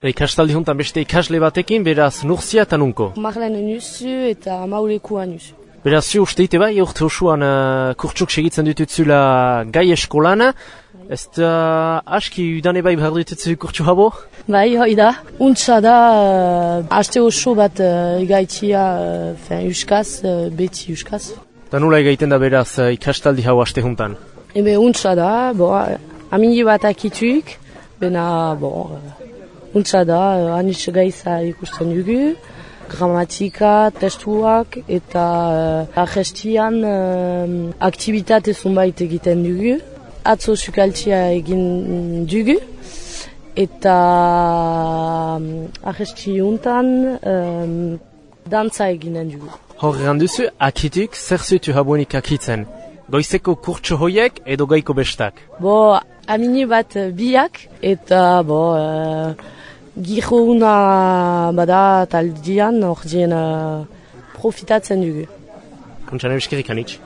Ikastaldi hontan beste ikasle batekin, beraz, Nurzia eta nunko? Marlene Nuzu eta Maulekua Nuzu. Beraz, zu usteite bai, urte osoan kurtsuk segitzen ditutzula gai eskolan. Ez da aski udane bai behar ditutzu kurtsu habo? Bai, hoi da. Untsa da, aste oso bat egaitia euskaz, beti euskaz. Da nula egaiten da beraz ikastaldi hau aste hontan? Ebe untsa da, amini bat akituk, bena, untsa da, anitz gaiza ikusten dugu, gramatika, testuak eta argestian aktivitate zunbait egiten dugu. Atzo sukaltzia egin dugu eta argesti untan dantza eginen dugu. Horrean duzu, akituk zer zutu habuenik akitzen? Goizeko kurtso hoiek edo gaiko bestak? Amini bat biak eta giro bada taldian ordien profitatzen dugu. Kontxan euskerik anitz.